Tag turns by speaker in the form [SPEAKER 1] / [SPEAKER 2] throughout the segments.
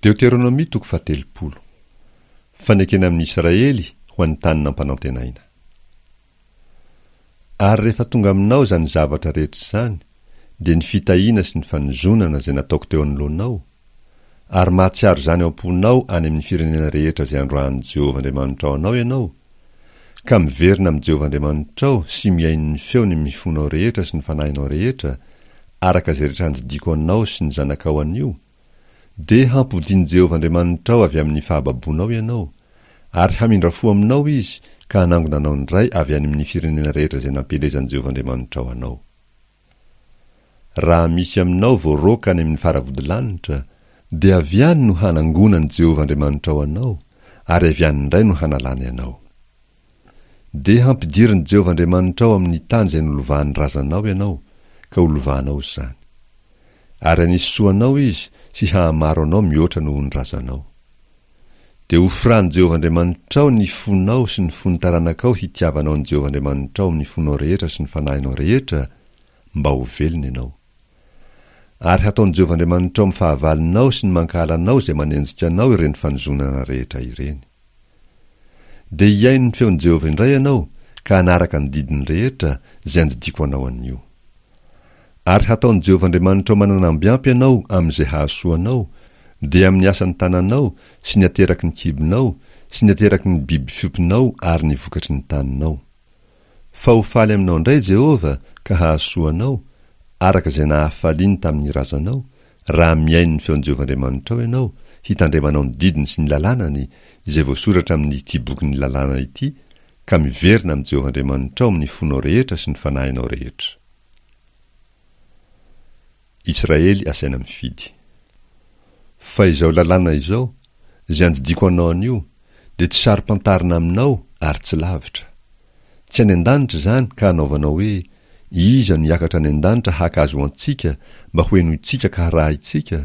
[SPEAKER 1] Deoteronomia toko faha-30. Fanekena amin'i Israely ho an'ny tany nampanantenaina. Ary rehefa tonga aminao izany zavatra rehetra izany, dia ny fitahiana sy ny fanozonana izay nataoko teo anoloanao, ary mahatsiaro izany ao am-ponao any amin'ny firenena rehetra izay androahan'i Jehovah Andriamanitrao anao ianao, ka miverina amin'i Jehovah Andriamanitrao sy mihaino ny feony amin'ny fonao rehetra sy ny fanahinao rehetra, araka izay rehetra andidiako anao sy ny zanakao anio, Dia hampodian'i Jehovah Andriamanitrao avy amin'ny fahababoanao ianao, ary hamindra fo aminao Izy ka hanangona anao indray avy any amin'ny firenena rehetra izay nampielezan'i Jehovah Andriamanitrao anao. Raha misy aminao voaroaka any amin'ny faravodilanitra, dia avy any no hanangonan'i Jehovah Andriamanitrao anao, ary avy any indray no hanalany anao. Dia hampidirin'i Jehovah Andriamanitrao amin'ny tany izay nolovahan'ny razanao ianao, ka holovanao izany. Ary hanisy soa anao Izy sy hahamaro anao mihoatra noho ny razanao. Dia hofiran'i Jehovah Andriamanitrao ny fonao sy ny fon'ny taranakao hitiavanao an'i Jehovah Andriamanitrao amin'ny fonao rehetra sy ny fanahinao rehetra, mba ho velona ianao. Ary hataon'i Jehovah Andriamanitrao amin'ny fahavalonao sy ny mankahala anao izay manenjika anao ireny fanozonana rehetra ireny. Dia hihaino ny feon'i Jehovah indray ianao ka hanaraka ny didiny rehetra izay andidiako anao anio. Ary hataon'i Jehovah Andriamanitrao manana ambiampy ianao amin'izay hahasoa anao, dia amin'ny asan'ny tananao sy ny ateraky ny kibonao sy ny ateraky ny biby fiompinao ary ny vokatry ny taninao. Fa ho faly aminao indray Jehovah ka hahasoa anao, araka izay nahafaliany tamin'ny razanao, raha mihaino ny feon'i Jehovah Andriamanitrao ianao, hitandremanao ny didiny sy ny lalànany, izay voasoratra amin'ity bokin'ny lalàna ity, ka miverina amin'i Jehovah Andriamanitrao amin'ny fonao rehetra sy ny fanahinao rehetra. Israely asaina mifidy. Fa izao lalàna izao, izay andidiako anao anio, dia tsy saro-pantarina aminao ary tsy lavitra. Tsy any an-danitra izany ka hanaovanao hoe, Iza no hiakatra any an-danitra haka azy ho antsika mba hohenointsika ka harahintsika?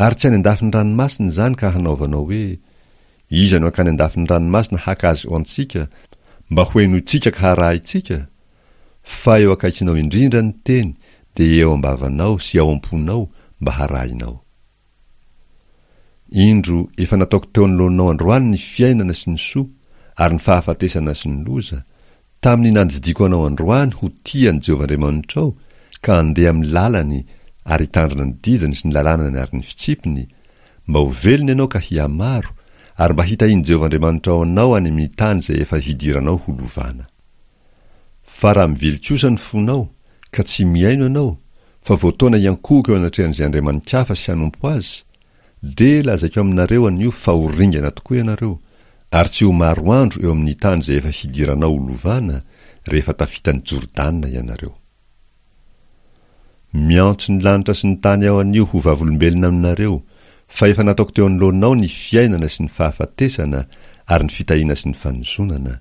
[SPEAKER 1] Ary tsy any an-dafin'ny ranomasina izany ka hanaovanao hoe, Iza no hankany an-dafin'ny ranomasina haka azy ho antsika mba hohenointsika ka harahintsika? Fa eo akaikinao indrindra ny teny dia eo am-bavanao sy ao am-ponao mba harahinao. Indro efa nataoko teo anoloanao androany ny fiainana sy ny soa ary ny fahafatesana sy ny loza, tamin'ny nandidiako anao androany ho tia an'i Jehovah Andriamanitrao ka handeha amin'ny lalany ary hitandrina ny didiny sy ny lalànany ary ny fitsipiny, mba ho velona ianao ka hihamaro, ary mba hitahian'i Jehovah Andriamanitrao anao any amin'ny tany izay efa hidiranao ho lovana. Fa raha mivily kosa ny fonao, ka tsy mihaino ianao, fa voataona hiankohoka eo anatrehan'izay andriamani-kafa sy hanompo azy, dia lazaiko aminareo anio fa ho ringana tokoa ianareo, ary tsy ho maro andro eo amin'ny tany izay efa hidiranao ho lovana, rehefa tafita an'i Jordana ianareo. Miantso ny lanitra sy ny tany aho anio ho vavolombelona aminareo, fa efa nataoko teo anoloanao ny fiainana sy ny fahafatesana ary ny fitahiana sy ny fanozonana.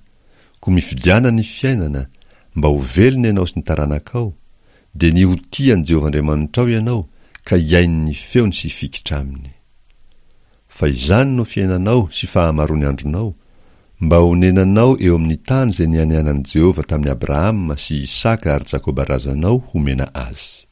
[SPEAKER 1] Koa mifidiana ny fiainana, mba ho velona ianao sy ny taranakao, dia ny ho tia an'i Jehovah Andriamanitrao ianao ka hihaino ny feony sy hifikitra aminy. Fa izany no fiainanao sy fahamaroan'ny andronao, mba honenanao eo amin'ny tany izay nianianan'i Jehovah tamin'i Abrahama sy Isaka ary Jakoba razanao homena azy.